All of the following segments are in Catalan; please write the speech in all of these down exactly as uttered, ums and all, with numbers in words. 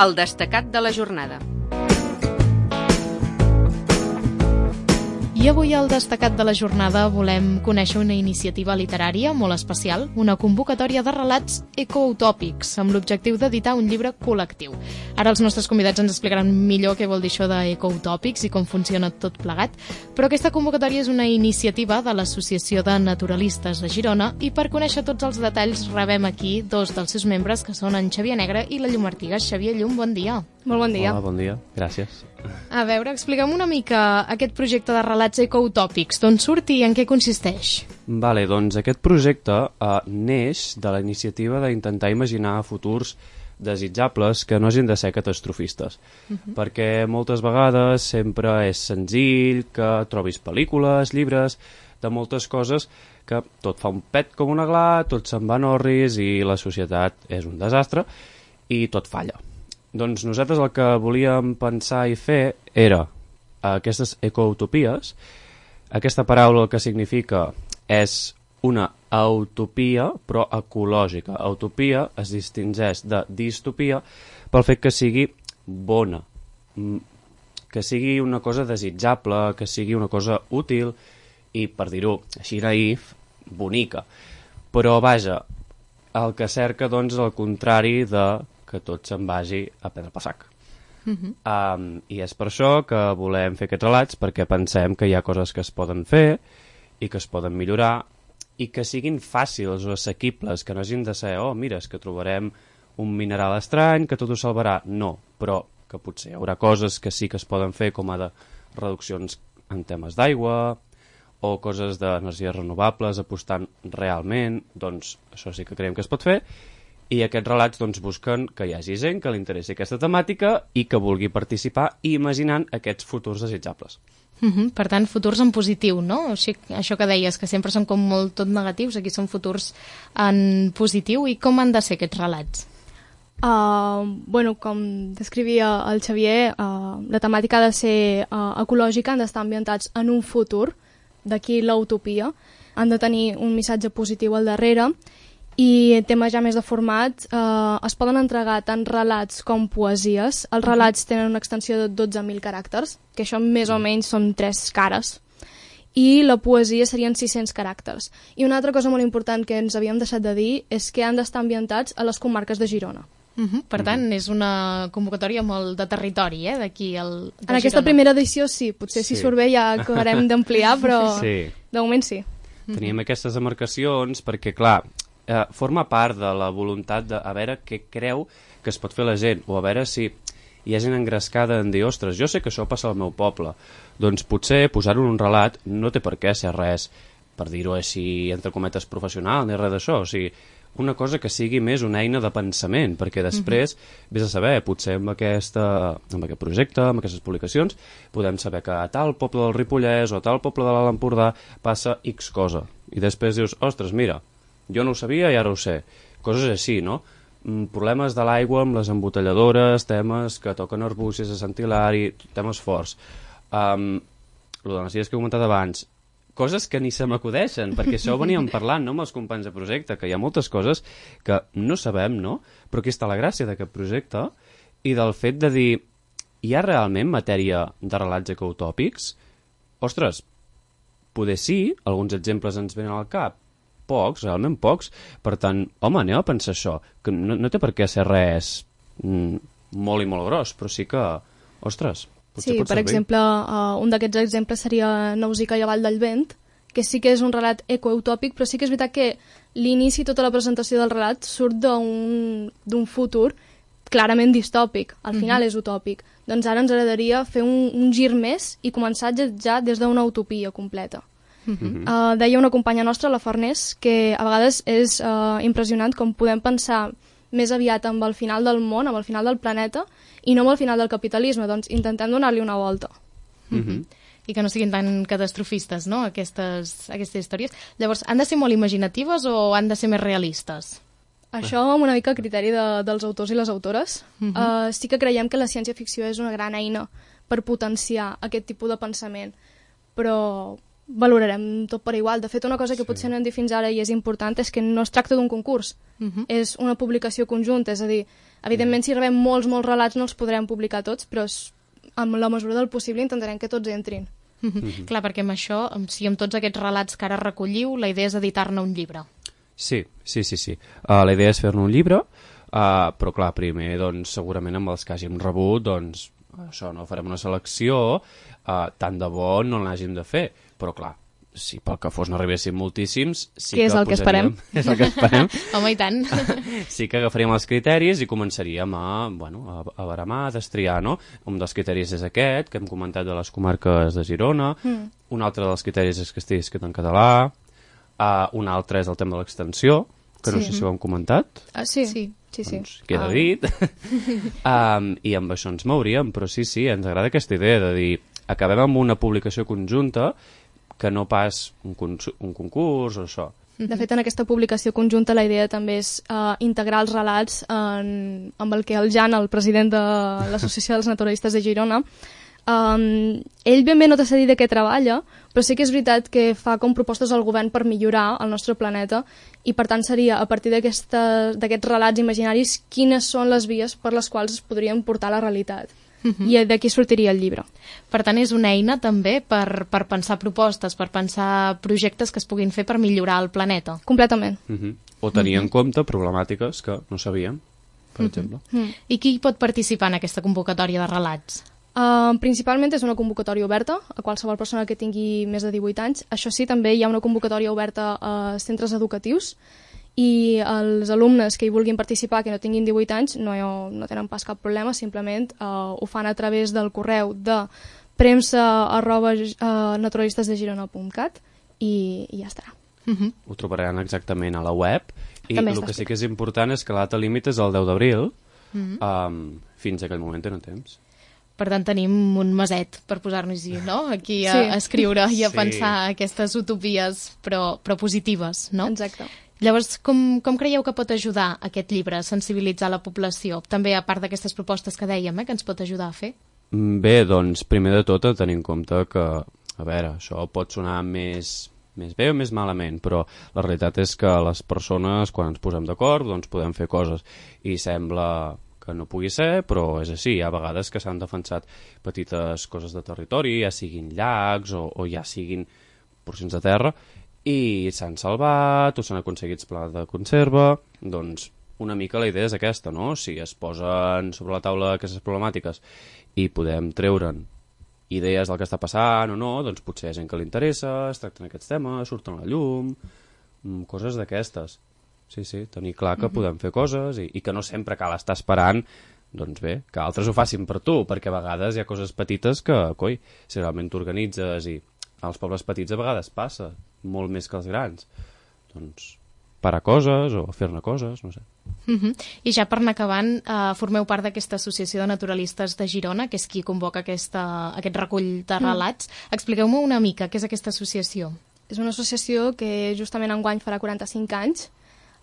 El destacat de la jornada. I avui al destacat de la jornada volem conèixer una iniciativa literària molt especial, una convocatòria de relats ecoutòpics amb l'objectiu d'editar un llibre col·lectiu. Ara els nostres convidats ens explicaran millor què vol dir això d'ecoutòpics i com funciona tot plegat, però aquesta convocatòria és una iniciativa de l'Associació de Naturalistes de Girona i per conèixer tots els detalls rebem aquí dos dels seus membres, que són en Xavier Negre i la Llum Artigas. Xavier, Llum, bon dia. Molt bon dia. Hola, bon dia. Gràcies. A veure, explica'm una mica aquest projecte de relats ecoutòpics. D'on surt i en què consisteix? Vale, doncs aquest projecte eh, neix de la iniciativa d'intentar imaginar futurs desitjables que no hagin de ser catastrofistes. Uh -huh. Perquè moltes vegades sempre és senzill que trobis pel·lícules, llibres, de moltes coses que tot fa un pet com una gla, tot se'n va en orris i la societat és un desastre i tot falla. Doncs nosaltres el que volíem pensar i fer era aquestes ecoutopies. Aquesta paraula el que significa és una utopia, però ecològica. Utopia es distingeix de distopia pel fet que sigui bona, que sigui una cosa desitjable, que sigui una cosa útil i, per dir-ho així naïf, bonica. Però, vaja, el que cerca, doncs, és el contrari de que tot se'n vagi a pedra per sac. Uh -huh. um, I és per això que volem fer aquests relats, perquè pensem que hi ha coses que es poden fer i que es poden millorar i que siguin fàcils o assequibles, que no hagin de ser, oh, mira, és que trobarem un mineral estrany que tot ho salvarà. No, però que potser hi haurà coses que sí que es poden fer, com a de reduccions en temes d'aigua o coses d'energies renovables apostant realment. Doncs això sí que creiem que es pot fer. I aquests relats doncs, busquen que hi hagi gent que li interessi aquesta temàtica i que vulgui participar imaginant aquests futurs desitjables. Uh -huh. Per tant, futurs en positiu, no? O sigui, això que deies, que sempre són com molt tot negatius, aquí són futurs en positiu. I com han de ser aquests relats? Uh, bueno, com descrivia el Xavier, uh, la temàtica ha de ser uh, ecològica, han d'estar ambientats en un futur, d'aquí l'utopia, han de tenir un missatge positiu al darrere. I temes ja més de format, eh, es poden entregar tant relats com poesies. Els relats tenen una extensió de dotze mil caràcters, que això més o menys són tres cares, i la poesia serien sis-cents caràcters. I una altra cosa molt important que ens havíem deixat de dir és que han d'estar ambientats a les comarques de Girona. Uh -huh. Per tant, uh -huh. és una convocatòria molt de territori, eh, d'aquí al... En Girona. Aquesta primera edició sí, potser si sí. surt bé ja acabarem d'ampliar, però sí. de moment sí. Teníem aquestes demarcacions perquè, clar, Eh, forma part de la voluntat de a veure què creu que es pot fer la gent, o a veure si hi ha gent engrescada en dir, ostres, jo sé que això passa al meu poble, doncs potser posar-ho en un relat no té per què ser res, per dir-ho així, entre cometes, professional, ni res d'això, o sigui, una cosa que sigui més una eina de pensament, perquè després, uh-huh. vés a saber, potser amb, aquesta, amb aquest projecte, amb aquestes publicacions, podem saber que a tal poble del Ripollès o a tal poble de l'Alt Empordà passa X cosa, i després dius, ostres, mira, jo no ho sabia i ara ho sé. Coses així, no? Mm, problemes de l'aigua amb les embotelladores, temes que toquen Arbúcies, a Sant Hilari, temes forts. Um, lo de les idees que he comentat abans, coses que ni se m'acudeixen, perquè això ho veníem parlant, no?, amb els companys de projecte, que hi ha moltes coses que no sabem, no? Però aquí està la gràcia d'aquest projecte i del fet de dir, hi ha realment matèria de relats ecoutòpics? Ostres, poder sí, alguns exemples ens venen al cap, pocs, realment pocs, per tant, home, anem a pensar això, que no, no té per què ser res mm, molt i molt gros, però sí que, ostres, potser sí, pot per servir. exemple, uh, un d'aquests exemples seria Nausicaa i la Vall del Vent, que sí que és un relat ecoutòpic, però sí que és veritat que l'inici, tota la presentació del relat, surt d'un futur clarament distòpic, al final mm-hmm. és utòpic. Doncs ara ens agradaria fer un, un gir més i començar ja des d'una utopia completa. Mm-hmm. Uh, deia una companya nostra, la Farners, que a vegades és uh, impressionant com podem pensar més aviat amb el final del món, amb el final del planeta, i no amb el final del capitalisme, doncs intentem donar-li una volta. Mm-hmm. I que no siguin tan catastrofistes, no?, aquestes, aquestes històries. Llavors, han de ser molt imaginatives o han de ser més realistes? Això amb una mica a criteri de, dels autors i les autores. Mm-hmm. uh, sí que creiem que la ciència-ficció és una gran eina per potenciar aquest tipus de pensament, però valorarem tot per igual. De fet, una cosa que Sí. potser no hem dit fins ara i és important és que no es tracta d'un concurs, Mhm. és una publicació conjunta, és a dir, evidentment si rebem molts, molts relats no els podrem publicar tots, però és, amb la mesura del possible intentarem que tots entrin. Mhm. Clar, perquè amb això, amb- si amb tots aquests relats que ara recolliu, la idea és editar-ne un llibre. Sí, sí, sí, sí. Uh, la idea és fer-ne un llibre, uh, però clar, primer, doncs, segurament amb els que hàgim rebut, doncs, això, no farem una selecció, uh, tant de bo no n'hàgim de fer, però clar, si pel que fos n'arribessin moltíssims, sí Que és que el que posaríem... És el que esperem. Home, i tant. Sí que agafaríem els criteris i començaríem a, bueno, a, a baramar, a destriar, no? Un dels criteris és aquest, que hem comentat de les comarques de Girona, Mm. un altre dels criteris és que estigui escrit en català, uh, un altre és el tema de l'extensió, que no Sí. sé si ho hem comentat, Ah, sí, Sí. sí, sí. doncs queda Ah. dit. um, I amb això ens mouríem, però sí, sí, ens agrada aquesta idea de dir, acabem amb una publicació conjunta que no pas un, cons- un concurs o això. De fet, en aquesta publicació conjunta la idea també és uh, integrar els relats en, amb el que el Jan, el president de l'Associació dels Naturalistes de Girona, um, ell ben bé no t'ha de dir de què treballa, però sí que és veritat que fa com propostes al govern per millorar el nostre planeta i per tant seria a partir d'aquesta- d'aquests relats imaginaris quines són les vies per les quals es podrien portar a la realitat. I d'aquí sortiria el llibre. Per tant, és una eina també per, per pensar propostes, per pensar projectes que es puguin fer per millorar el planeta. Completament. Uh -huh. O tenir en compte problemàtiques que no sabíem, per exemple. I qui hi pot participar en aquesta convocatòria de relats? Uh, principalment és una convocatòria oberta a qualsevol persona que tingui més de divuit anys. Això sí, també hi ha una convocatòria oberta a centres educatius i els alumnes que hi vulguin participar que no tinguin divuit anys no, no tenen pas cap problema, simplement uh, ho fan a través del correu de premsa arroba uh, naturalistesdegirona punt cat i, i ja estarà. Uh -huh. Ho trobaran exactament a la web i També el està que sí que és important és que la data límit és el deu d'abril. Uh -huh. um, fins a aquell moment tenen temps. Per tant, tenim un meset per posar-nos-hi, no? Aquí a, Sí. a escriure i a Sí. pensar aquestes utopies, però, però positives, no? Exacte. Llavors, com, com creieu que pot ajudar aquest llibre a sensibilitzar la població? També a part d'aquestes propostes que dèiem, eh, que ens pot ajudar a fer? Mm, Bé, doncs, primer de tot, a tenir en compte que, a veure, això pot sonar més, més bé o més malament, però la realitat és que les persones, quan ens posem d'acord, doncs podem fer coses. I sembla que no pugui ser, però és així. Hi ha vegades que s'han defensat petites coses de territori, ja siguin llacs o, o ja siguin porcions de terra, i s'han salvat o s'han aconseguit plans de conserva. Doncs una mica la idea és aquesta, no? Si es posen sobre la taula aquestes problemàtiques i podem treure'n idees del que està passant o no, doncs potser hi ha gent que li interessa, es tracten aquests temes, surten a la llum, mm, coses d'aquestes. Sí, sí, tenir clar que podem fer coses i, i que no sempre cal estar esperant, doncs bé, que altres ho facin per tu, perquè a vegades hi ha coses petites que, coi, si realment t'organitzes i als pobles petits a vegades passa, molt més que els grans, doncs parar coses o fer-ne coses, no sé. Uh -huh. I ja per anar acabant, eh, formeu part d'aquesta associació de naturalistes de Girona, que és qui convoca aquesta, aquest recull de relats. Mm. Expliqueu-me una mica què és aquesta associació. És una associació que justament enguany farà quaranta-cinc anys,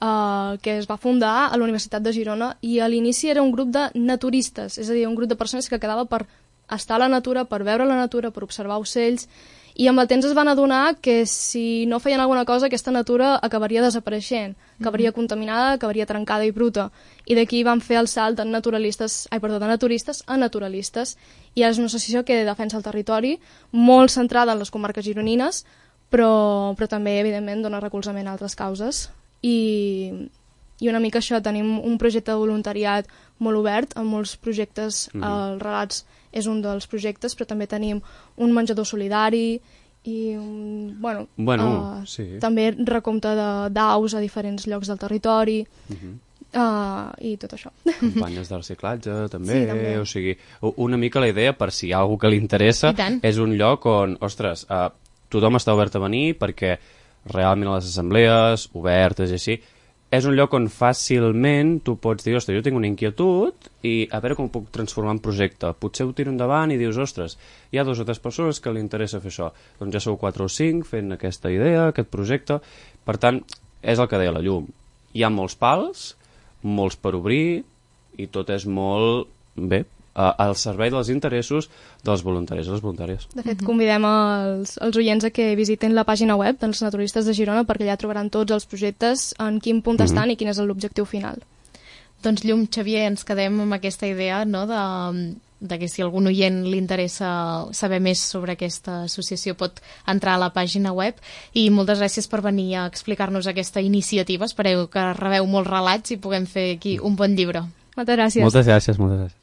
Uh, que es va fundar a la Universitat de Girona i a l'inici era un grup de naturistes, és a dir, un grup de persones que quedava per estar a la natura, per veure la natura, per observar ocells, i amb el temps es van adonar que si no feien alguna cosa aquesta natura acabaria desapareixent, acabaria mm-hmm. contaminada, acabaria trencada i bruta, i d'aquí van fer el salt de naturalistes, ai, perdó, de naturistes a naturalistes, i és una associació que defensa el territori, molt centrada en les comarques gironines, però, però també, evidentment, dona recolzament a altres causes. I, i una mica això, tenim un projecte de voluntariat molt obert, amb molts projectes, mm -hmm. els relats és un dels projectes, però també tenim un menjador solidari i un, bueno, bueno uh, sí. també recompte d'aus a diferents llocs del territori, mm -hmm. Uh, i tot això. Campanyes de reciclatge, també. Sí, també. O sigui, una mica la idea, per si hi ha algú que li interessa, és un lloc on, ostres, uh, tothom està obert a venir perquè realment a les assemblees, obertes i així, és un lloc on fàcilment tu pots dir, ostres, jo tinc una inquietud i a veure com ho puc transformar en projecte. Potser ho tiro endavant i dius, ostres, hi ha dues o tres persones que li interessa fer això. Doncs ja sou quatre o cinc fent aquesta idea, aquest projecte. Per tant, és el que deia la llum. Hi ha molts pals, molts per obrir i tot és molt, bé, uh, al servei dels interessos dels voluntaris i les voluntàries. De fet, convidem els, els oients a que visitin la pàgina web dels naturistes de Girona perquè allà trobaran tots els projectes, en quin punt mm-hmm. estan i quin és l'objectiu final. Doncs Llum, Xavier, ens quedem amb aquesta idea, no?, de, de que si algun oient li interessa saber més sobre aquesta associació pot entrar a la pàgina web, i moltes gràcies per venir a explicar-nos aquesta iniciativa. Espereu que rebeu molts relats i puguem fer aquí un bon llibre. Moltes gràcies. Moltes gràcies, moltes gràcies.